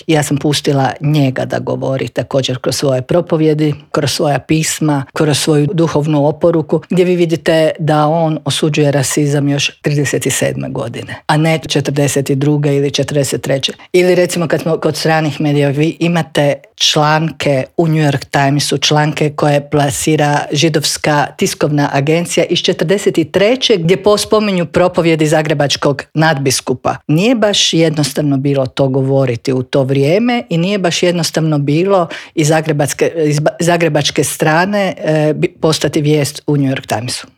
Ja sam pustila njega da govori također kroz svoje propovjedi, kroz svoja pisma, kroz svoju duhovnu oporuku, gdje vi vidite da on osuđuje rasizam još 37. godine, a ne 42. ili 43. Ili recimo kad smo kod stranih medija, vi imate članke u New York Timesu, članke koje plasira židovska tiskovna agencija iz 43. gdje spominju propovjedi zagrebačkog nadbiskupa. Nije baš jednostavno bilo to govoriti u to vrijeme i nije baš jednostavno bilo iz zagrebačke strane postati vijest u New York Timesu.